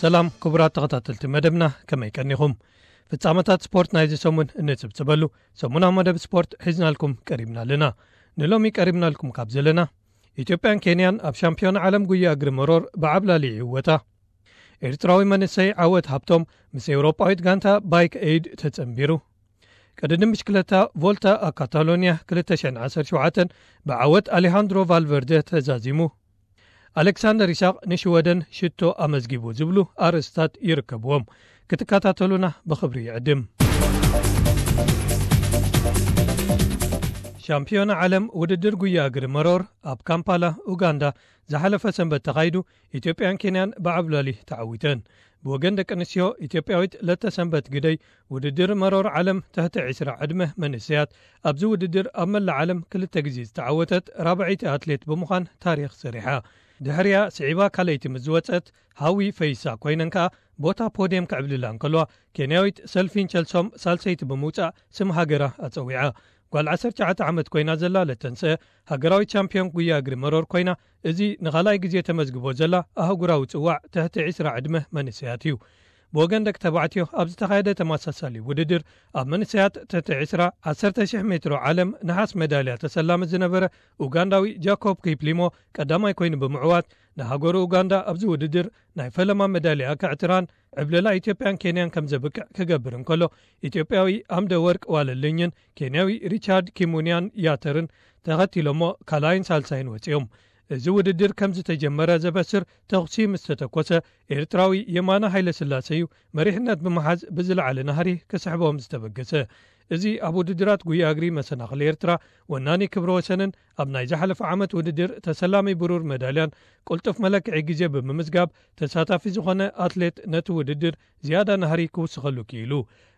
ሰላም ክቡራት ተኸታተልቲ መደብና፣ ከመይ ቀኒኹም? ፍጻመታት ስፖርት ናይዚ ሰሙን እንጽብጽበሉ ሰሙናዊ መደብ ስፖርት ሒዝናልኩም ቀሪብና ኣለና። ንሎሚ ቀሪብናልኩም ካብ ዘለና፣ ኢትዮጵያን ኬንያን ኣብ ሻምፒዮን ዓለም ጉያ እግሪ መሮር ብዓብላሊ ይዕወታ። ኤርትራዊ መንእሰይ ዓወት ሃብቶም ምስ ኤውሮጳዊት ጋንታ ባይክ ኤይድ ተጸንቢሩ። ቅድድም ብሽክለታ ቮልታ ኣ ካታሎኒያ ክልተ ሽሕን ዓሰርተ ሸውዓተን ብዓወት ኣሌሃንድሮ ቫልቨርደ ተዛዚሙ። ኣሌክሳንደር ኢሳቕ ንሽወደን ሽቶ ኣመዝጊቡ ዝብሉ ኣርእስታት ይርከብዎም። ክትከታተሉና ብኽብሪ ይዕድም። ሻምፒዮና ዓለም ውድድር ጉያ እግሪ መሮር ኣብ ካምፓላ፣ ኡጋንዳ ዝሓለፈ ሰንበት ተኻይዱ፣ ኢትዮጵያን ኬንያን ብዓብላሊ ተዓዊተን። ብወገን ደቂ ኣንስትዮ፣ ኢትዮጵያዊት ለተ ሰንበት ግደይ ውድድር መሮር ዓለም ትሕቲ ዕስራ ዕድመ መንእሰያት ኣብዚ ውድድር ኣብ መላእ ዓለም ክልተ ግዜ ዝተዓወተት ራብዐይቲ ኣትሌት ብምዃን ታሪኽ ሰሪሓ። ድሕሪያ ስዒባ ካልኣይቲ ምስ ዝወጸት፣ ሃዊ ፈይሳ ኮይነን ከኣ ቦታ ፖድየም ክዕብልላ እንከለዋ፣ ኬንያዊት ሰልፊን ቸልሶም ሳልሰይቲ ብምውጻእ ስም ሃገራ ኣጸዊዓ። ጓል ዓሰርተ ትሽዓተ ዓመት ኮይና ዘላ ለተንሰ፣ ሃገራዊት ቻምፒዮን ጉያ እግሪ መሮር ኮይና፣ እዚ ንኻልኣይ ግዜ ተመዝግቦ ዘላ ኣህጉራዊ ጽዋዕ ትሕቲ ዕስራ ዕድመ መንእሰያት እዩ። ብወገን ደቂ ተባዕትዮ ኣብ ዝተኻየደ ተመሳሳሊ ውድድር፣ ኣብ መንእሰያት ትሕቲ ዕስራ፣ ዓሰርተ ሽሕ ሜትሮ ዓለም ነሓስ መዳልያ ተሰላሚ ዝነበረ ኡጋንዳዊ ጃኮብ ኪፕሊሞ ቀዳማይ ኮይኑ ብምዕዋት፣ ንሃገሩ ኡጋንዳ ኣብዚ ውድድር ናይ ፈለማ መዳልያ ከዕትራን ዕብለላ ኢትዮጵያን ኬንያን ከም ዘብቅዕ ክገብር እንከሎ፣ ኢትዮጵያዊ ኣምደ ወርቅ ዋለልኝን ኬንያዊ ሪቻርድ ኪሙንያን ያተርን ተኸቲሎሞ ካልኣይን ሳልሳይን ወጺኦም። እዚ ውድድር ከም ዝተጀመረ ዘበስር ተኹሲ ምስ ተተኮሰ፣ ኤርትራዊ የማነ ሃይለስላሴ እዩ መሪሕነት ብምሓዝ ብዝለዓለ ናህሪ ክስሕቦም ዝተበገሰ። እዚ ኣብ ውድድራት ጉያ እግሪ መሰናኽል ኤርትራ ወናኒ ክብረ ወሰንን ኣብ ናይ ዝሓለፈ ዓመት ውድድር ተሰላሚ ብሩር መዳልያን ቅልጡፍ መለክዒ ግዜ ብምምዝጋብ ተሳታፊ ዝኾነ ኣትሌት ነቲ ውድድር ዝያዳ ናህሪ ክውስኸሉ ክኢሉ።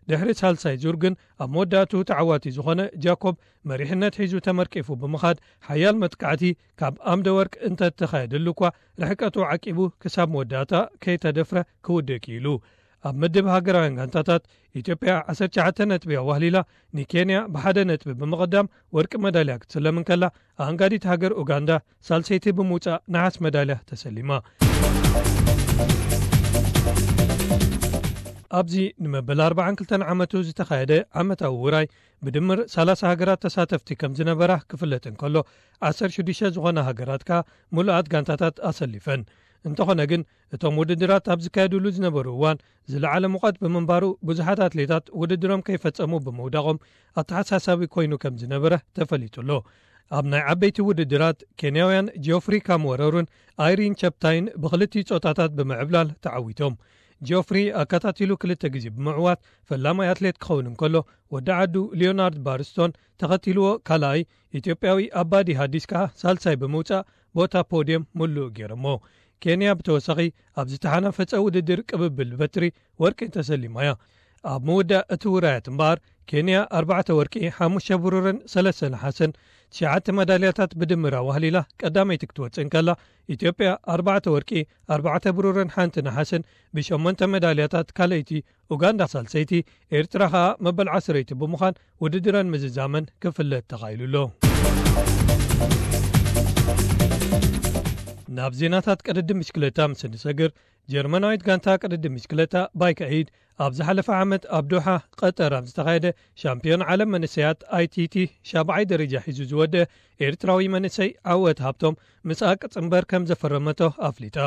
ድሕሪ ሳልሳይ ዙር ግን ኣብ መወዳእትኡ ተዓዋቲ ዝኾነ ጃኮብ መሪሕነት ሒዙ ተመርቂፉ ብምኻድ ሓያል መጥቃዕቲ ካብ ኣምደ ወርቅ እንተተኻየደሉ እኳ ርሕቀቱ ዓቂቡ ክሳብ መወዳእታ ከይተደፍረ ክውድእ ክኢሉ። ኣብ ምድብ ሃገራውያን ጋንታታት ኢትዮጵያ ዓሰርተ ትሽዓተ ነጥቢ ኣዋህሊላ ንኬንያ ብሓደ ነጥቢ ብምቕዳም ወርቂ መዳልያ ክትስለም እንከላ፣ ኣንጋዲት ሃገር ኡጋንዳ ሳልሰይቲ ብምውጻእ ነሓስ መዳልያ ተሰሊማ። ኣብዚ ንመበል ኣርባዓን ክልተን ዓመቱ ዝተኻየደ ዓመታዊ ውራይ ብድምር ሰላሳ ሃገራት ተሳተፍቲ ከም ዝነበራ ክፍለጥ እንከሎ፣ ዓሰርተ ሽዱሽተ ዝኾና ሃገራት ከኣ ምሉኣት ጋንታታት ኣሰሊፈን። እንተኾነ ግን፣ እቶም ውድድራት ኣብ ዝካየዱሉ ዝነበሩ እዋን ዝለዓለ ሙቐት ብምንባሩ፣ ብዙሓት ኣትሌታት ውድድሮም ከይፈጸሙ ብምውዳቖም ኣተሓሳሳቢ ኮይኑ ከም ዝነበረ ተፈሊጡ ኣሎ። ኣብ ናይ ዓበይቲ ውድድራት፣ ኬንያውያን ጂኦፍሪ ካምወረሩን ኣይሪን ቸፕታይን ብኽልቲኡ ጾታታት ብምዕብላል ተዓዊቶም። ጂኦፍሪ ኣከታቲሉ ክልተ ግዜ ብምዕዋት ፈላማይ ኣትሌት ክኸውን እንከሎ፣ ወዲ ዓዱ ሊዮናርድ ባርስቶን ተኸቲልዎ ካልኣይ፣ ኢትዮጵያዊ ኣባዲ ሃዲስ ከኣ ሳልሳይ ብምውጻእ ቦታ ፖድየም ምሉእ ገይሮሞ። ኬንያ ብተወሳኺ ኣብ ዝተሓናፈጸ ውድድር ቅብብል በትሪ ወርቂ ተሰሊማ እያ። ኣብ ምውዳእ እቲ ውራያት እምበኣር፣ ኬንያ ኣርባዕተ ወርቂ፣ ሓሙሽተ ብሩርን ሰለስተ ነሓስን፣ ትሽዓተ መዳልያታት ብድምር ኣዋህሊላ ቀዳመይቲ ክትወጽእ እንከላ፣ ኢትዮጵያ ኣርባዕተ ወርቂ፣ ኣርባዕተ ብሩርን ሓንቲ ነሓስን ብሸሞንተ መዳልያታት ካልኣይቲ፣ ኡጋንዳ ሳልሰይቲ፣ ኤርትራ ኸኣ መበል ዓስረይቲ ብምዃን ውድድረን ምዝዛመን ክፍለጥ ተኻኢሉ ኣሎ። ናብ ዜናታት ቅድድም ብሽክለታ ምስ እንሰግር፣ ጀርመናዊት ጋንታ ቅድድም ብሽክለታ ባይክ ኤይድ ኣብ ዝሓለፈ ዓመት ኣብ ዶሓ ቀጠር ኣብ ዝተኻየደ ሻምፒዮን ዓለም መንእሰያት ኣይቲቲ ሻብዓይ ደረጃ ሒዙ ዝወደአ ኤርትራዊ መንእሰይ ዓወት ሃብቶም ምስኣ ቅጽምበር ከም ዘፈረመቶ ኣፍሊጣ።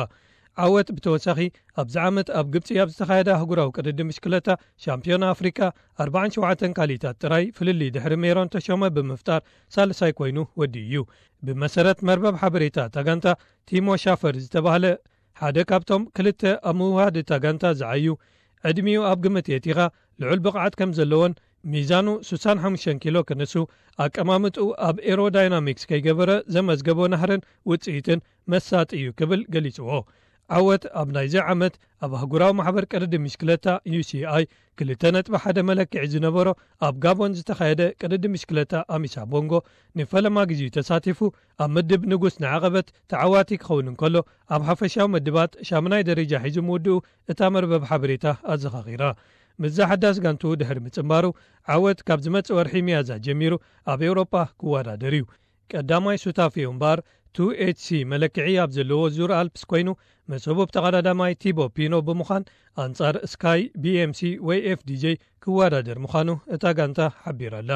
ዓወት ብተወሳኺ ኣብዚ ዓመት ኣብ ግብጺ ኣብ ዝተኻየደ ኣህጉራዊ ቅድድም ብሽክለታ ሻምፒዮን ኣፍሪቃ ኣርባዓን ሸውዓተን ካልኢታት ጥራይ ፍልልይ ድሕሪ ሜሮን ተሾመ ብምፍጣር ሳልሳይ ኮይኑ ወዲኡ እዩ። ብመሰረት መርበብ ሓበሬታ እታ ጋንታ፣ ቲሞ ሻፈር ዝተባህለ ሓደ ካብቶም ክልተ ኣብ ምውሃድ እታ ጋንታ ዝዓዩ፣ ዕድሚኡ ኣብ ግምት የእቲኻ ልዑል ብቕዓት ከም ዘለዎን ሚዛኑ ስሳን ሓሙሽተን ኪሎ ክንሱ፣ ኣቀማምጥኡ ኣብ ኤሮዳይናሚክስ ከይገበረ ዘመዝገቦ ናህርን ውጽኢትን መሳጢ እዩ ክብል ገሊጽዎ። ዓወት ኣብ ናይዚ ዓመት ኣብ ኣህጉራዊ ማሕበር ቅድድም ብሽክለታ ዩ ሲ ኣይ ክልተ ነጥቢ ሓደ መለክዒ ዝነበሮ ኣብ ጋቦን ዝተኻየደ ቅድድም ብሽክለታ ኣሚሳ ቦንጎ ንፈለማ ግዜኡ ተሳቲፉ ኣብ ምድብ ንጉስ ንዓቐበት ተዓዋቲ ክኸውን እንከሎ፣ ኣብ ሓፈሻዊ ምድባት ሻምናይ ደረጃ ሒዙ ምውድኡ እታ መርበብ ሓበሬታ ኣዘኻኺራ። ምስዛ ሓዳስ ጋንቱ ድሕሪ ምጽንባሩ፣ ዓወት ካብ ዝመጽእ ወርሒ ሚያዝያ ጀሚሩ ኣብ ኤውሮጳ ክወዳደር እዩ። ቀዳማይ ሱታፌኡ እምበኣር፣ ቱ ኤች ሲ መለክዒ ኣብ ዘለዎ ዙር ኣልፕስ ኮይኑ፣ ምስ ህቡብ ተቐዳዳማይ ቲቦ ፒኖ ብምዃን ኣንጻር ስካይ፣ ቢ ኤም ሲ ወይ ኤፍ ዲ ጄ ክወዳደር ምዃኑ እታ ጋንታ ሓቢራ'ላ።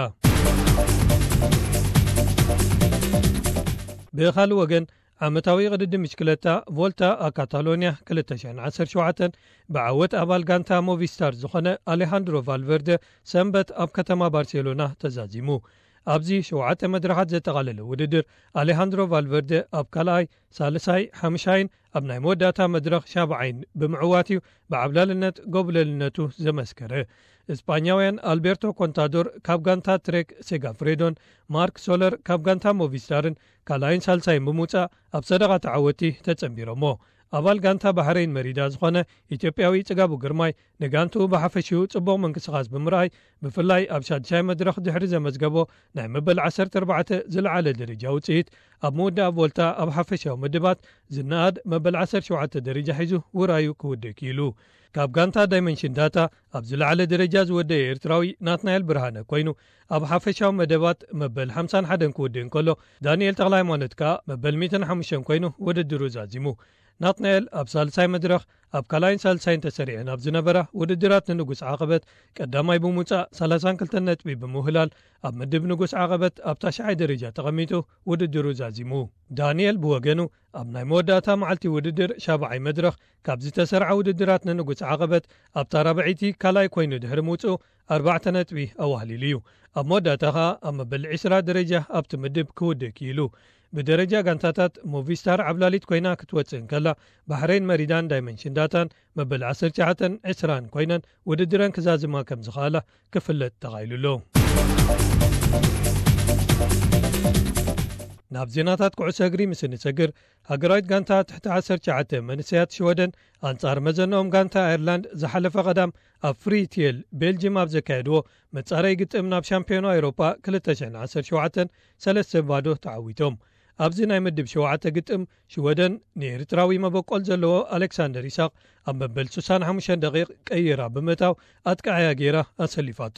ብኻልእ ወገን፣ ዓመታዊ ቅድድም ብሽክለታ ቮልታ ኣ ካታሎንያ ክልተ ሽሕን ዓሰርተ ሸውዓተን ብዓወት ኣባል ጋንታ ሞቪስታር ዝኾነ ኣሌሃንድሮ ቫልቨርደ ሰንበት ኣብ ከተማ ባርሴሎና ተዛዚሙ። ኣብዚ ሸውዓተ መድረኻት ዘጠቓለለ ውድድር፣ ኣሌሃንድሮ ቫልቨርደ ኣብ ካልኣይ፣ ሳልሳይ፣ ሓምሻይን ኣብ ናይ መወዳእታ መድረኽ ሻብዓይን ብምዕዋት እዩ ብዓብላልነት ጎብለልነቱ ዘመስከረ። እስጳኛውያን ኣልቤርቶ ኮንታዶር ካብ ጋንታ ትሬክ ሴጋፍሬዶን ማርክ ሶለር ካብ ጋንታ ሞቪስታርን ካልኣይን ሳልሳይን ብምውጻእ ኣብ ሰደቓ ተዓወቲ ተጸንቢሮሞ። ኣባል ጋንታ ባሕረይን መሪዳ ዝኾነ ኢትዮጵያዊ ጽጋቡ ግርማይ ንጋንትኡ ብሓፈሽኡ ጽቡቕ ምንቅስቓስ ብምርኣይ፣ ብፍላይ ኣብ ሻድሻይ መድረኽ ድሕሪ ዘመዝገቦ ናይ መበል ዓሰርተ ኣርባዕተ ዝለዓለ ደረጃ ውጽኢት፣ ኣብ ምውዳእ ቮልታ ኣብ ሓፈሻዊ ምድባት ዝነኣድ መበል ዓሰርተ ሸውዓተ ደረጃ ሒዙ ውራዩ ክውድእ ክኢሉ። ካብ ጋንታ ዳይመንሽን ዳታ ኣብ ዝለዓለ ደረጃ ዝወደየ ኤርትራዊ ናትናኤል ብርሃነ ኮይኑ፣ ኣብ ሓፈሻዊ መደባት መበል ሓምሳን ሓደን ክውድእ እንከሎ፣ ዳንኤል ተኽለሃይማኖት ከኣ መበል ሚእትን ሓሙሽተን ኮይኑ ውድድሩ ዛዚሙ። ናትናኤል ኣብ ሳልሳይ መድረኽ ኣብ ካልኣይን ሳልሳይን ተሰሪዐን ኣብ ዝነበራ ውድድራት ንንጉስ ዓቐበት ቀዳማይ ብምውጻእ ሰላሳን ክልተን ነጥቢ ብምውህላል፣ ኣብ ምድብ ንጉስ ዓቐበት ኣብ ታሽዓይ ደረጃ ተቐሚጡ ውድድሩ ዛዚሙ። ዳንኤል ብወገኑ፣ ኣብ ናይ መወዳእታ መዓልቲ ውድድር ሻብዓይ መድረኽ ካብ ዝተሰርዓ ውድድራት ንንጉስ ዓቐበት ኣብታ ራብዐይቲ ካልኣይ ኮይኑ ድሕሪ ምውጽኡ ኣርባዕተ ነጥቢ ኣዋህሊሉ እዩ። ኣብ መወዳእታ ኸኣ ኣብ መበል ዕስራ ደረጃ ኣብቲ ምድብ ክውድእ ክኢሉ። ብደረጃ ጋንታታት ሞቪስታር ዓብላሊት ኮይና ክትወጽእ እንከላ፣ ባሕረይን መሪዳን ዳይመንሽን ዳታን መበል ዓሰርተ ትሽዓተን ዕስራን ኮይነን ውድድረን ክዛዝማ ከም ዝኸኣላ ክፍለጥ ተኻኢሉ ኣሎ። ናብ ዜናታት ኩዕሶ እግሪ ምስ እንሰግር፣ ሃገራዊት ጋንታ ትሕቲ ዓሰርተ ትሽዓተ መንእሰያት ሽወደን ኣንጻር መዘንኦም ጋንታ ኣየርላንድ ዝሓለፈ ቀዳም ኣብ ፍሪትየል ቤልጅም ኣብ ዘካየድዎ መጻረይ ግጥም ናብ ሻምፒዮና ኤውሮጳ ክልተ ሽሕን ዓሰርተ ሸውዓተን ሰለስተ ባዶ ተዓዊቶም። ኣብዚ ናይ ምድብ ሸውዓተ ግጥም ሽወደን ንኤርትራዊ መበቆል ዘለዎ ኣሌክሳንደር ይስሐቅ ኣብ መበል ስሳን ሓሙሽተን ደቂቕ ቀይራ ብምእታው ኣጥቃዓያ ገይራ ኣሰሊፋቶ።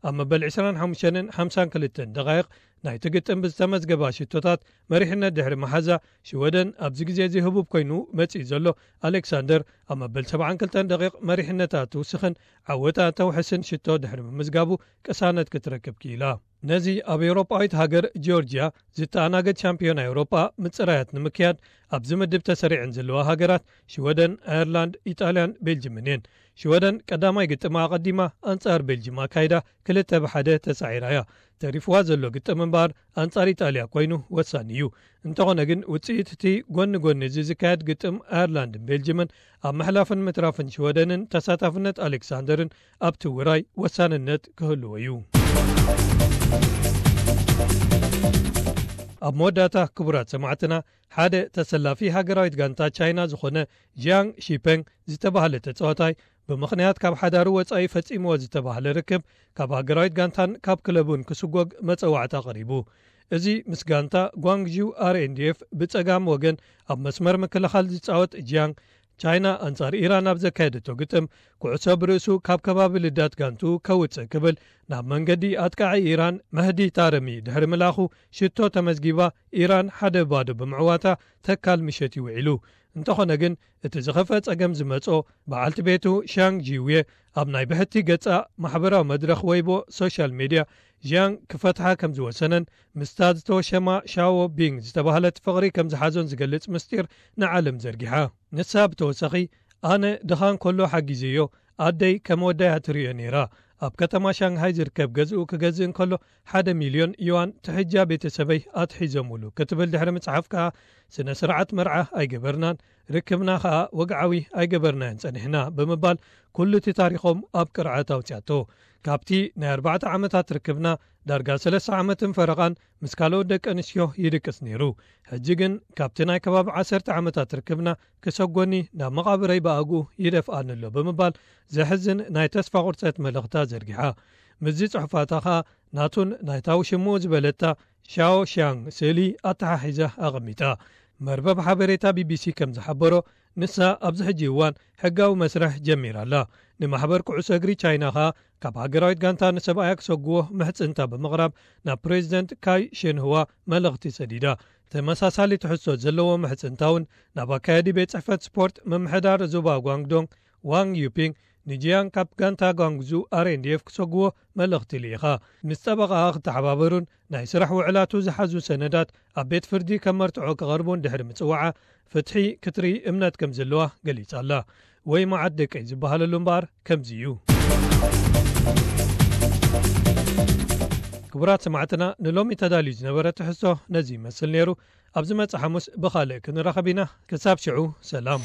ኣብ መበል ዕስራን ሓሙሽተን ሓምሳን ክልተን ደቓይቕ ናይቲ ግጥም ብዝተመዝገባ ሽቶታት መሪሕነት ድሕሪ መሓዛ፣ ሽወደን ኣብዚ ግዜ እዚ ህቡብ ኮይኑ መጺኡ ዘሎ ኣሌክሳንደር ኣብ መበል ሰብዓን ክልተን ደቂቕ መሪሕነታ ትውስኽን ዓወታ ተውሕስን ሽቶ ድሕሪ ምምዝጋቡ ቅሳነት ክትረክብ ክኢላ። ነዚ ኣብ ኤውሮጳዊት ሃገር ጆርጅያ ዝተኣናገድ ሻምፒዮና ኤውሮጳ ምጽራያት ንምክያድ ኣብዚ ምድብ ተሰሪዐን ዘለዋ ሃገራት ሽወደን፣ ኣየርላንድ፣ ኢጣልያን ቤልጅምን እየን። ሽወደን ቀዳማይ ግጥማ ኣቐዲማ ኣንጻር ቤልጅም ኣካይዳ ክልተ ብሓደ ተሳዒራ እያ። ተሪፍዋ ዘሎ ግጥም እምበኣር ኣንጻር ኢጣልያ ኮይኑ ወሳኒ እዩ። እንተኾነ ግን ውጽኢት እቲ ጎኒ ጎኒ እዚ ዝካየድ ግጥም ኣየርላንድን ቤልጅምን ኣብ ምሕላፍን ምትራፍን ሽወደንን ተሳታፍነት ኣሌክሳንደርን ኣብቲ ውራይ ወሳንነት ክህልዎ እዩ። ኣብ መወዳእታ ክቡራት ሰማዕትና፣ ሓደ ተሰላፊ ሃገራዊት ጋንታ ቻይና ዝኾነ ጂያንግ ሺፐንግ ዝተባህለ ተጻዋታይ ብምኽንያት ካብ ሓዳሩ ወጻኢ ፈጺምዎ ዝተባህለ ርክብ ካብ ሃገራዊት ጋንታን ካብ ክለቡን ክስጎግ መጸዋዕታ ቀሪቡ። እዚ ምስ ጋንታ ጓንግዢው ኣር ኤን ዲ ኤፍ ብጸጋም ወገን ኣብ መስመር ምክልኻል ዝጻወት ጂያንግ ቻይና ኣንጻር ኢራን ኣብ ዘካየደቶ ግጥም ኩዕሶ ብርእሱ ካብ ከባቢ ልዳት ጋንቱ ከውጽእ ክብል ናብ መንገዲ ኣጥቃዒ ኢራን መህዲ ታረሚ ድሕሪ ምላኹ ሽቶ ተመዝጊባ ኢራን ሓደ ባዶ ብምዕዋታ ተካል ምሸት ይውዒሉ። እንተኾነ ግን እቲ ዝኸፍአ ጸገም ዝመጾ በዓልቲ ቤቱ ሻንግ ጂውየ ኣብ ናይ ብሕቲ ገጻ ማሕበራዊ መድረኽ ወይቦ ሶሻል ሜድያ ጂያንግ ክፈትሓ ከም ዝወሰነን ምስታ ዝተወሸማ ሻዎ ቢንግ ዝተባህለት ፍቕሪ ከም ዝሓዞን ዝገልጽ ምስጢር ንዓለም ዘርጊሓ። ንሳ ብተወሳኺ ኣነ ድኻ እንከሎ ሓጊዘዮ፣ ኣደይ ከም ወዳያ ትርእዮ ነይራ። ኣብ ከተማ ሻንግሃይ ዝርከብ ገዝኡ ክገዝእ እንከሎ ሓደ ሚልዮን ዩዋን ትሕጃ ቤተሰበይ ኣትሒዞምሉ ክትብል ድሕሪ ምጽሓፍ ከኣ ስነ ስርዓት መርዓ ኣይገበርናን፣ ርክብና ከኣ ወግዓዊ ኣይገበርናዮን ጸኒሕና ብምባል ኩሉ እቲ ታሪኾም ኣብ ቅርዐት ኣውጽያቶ። ካብቲ ናይ ኣርባዕተ ዓመታት ርክብና ዳርጋ ሰለስተ ዓመትን ፈረቓን ምስ ካልኦት ደቂ ኣንስትዮ ይድቅስ ነይሩ። ሕጂ ግን ካብቲ ናይ ከባቢ ዓሰርተ ዓመታት ርክብና ክሰጎኒ ናብ መቓብረይ ብኣግኡ ይደፍኣኒ ኣሎ ብምባል ዘሕዝን ናይ ተስፋ ቁርጸት መልእኽታ ዘርጊሓ። ምስዚ ጽሑፋታ ኸኣ ናቱን ናይታ ውሽምኡ ዝበለታ ሻኦ ሻንግ ስእሊ ኣተሓሒዛ ኣቐሚጣ። መርበብ ሓበሬታ ቢ ቢ ሲ ከም ዝሓበሮ፣ ንሳ ኣብዚ ሕጂ እዋን ሕጋዊ መስርሕ ጀሚራ ኣላ። ንማሕበር ኩዕሶ እግሪ ቻይና ኸኣ ካብ ሃገራዊት ጋንታ ንሰብኣያ ክሰግዎ ምሕጽንታ ብምቕራብ ናብ ፕሬዚደንት ካይ ሽንህዋ መልእኽቲ ሰዲዳ። ተመሳሳሊ ትሕዝቶ ዘለዎ ምሕጽንታ እውን ናብ ኣካያዲ ቤት ጽሕፈት ስፖርት ምምሕዳር ዞባ ጓንግዶንግ ዋንግ ዩፒንግ ንጂያን ካብ ጋንታ ጓንግዙ ኣር ኤን ዲ ኤፍ ክሰግዎ መልእኽቲ ልኢኻ። ምስ ጠበቓኣ ክተሓባበሩን ናይ ስራሕ ውዕላቱ ዝሓዙ ሰነዳት ኣብ ቤት ፍርዲ ከም መርትዖ ክቐርቡን ድሕሪ ምጽዋዓ ፍትሒ ክትርኢ እምነት ከም ዘለዋ ገሊጻ ኣላ። ወይ መዓት ደቀይ ዝበሃለሉ እምበኣር ከምዚ እዩ። ክቡራት ሰማዕትና፣ ንሎሚ ተዳልዩ ዝነበረ ትሕዝቶ ነዚ ይመስል ነይሩ። ኣብ ዝመጽእ ሓሙስ ብኻልእ ክንራኸብ ኢና። ክሳብ ሽዑ ሰላም።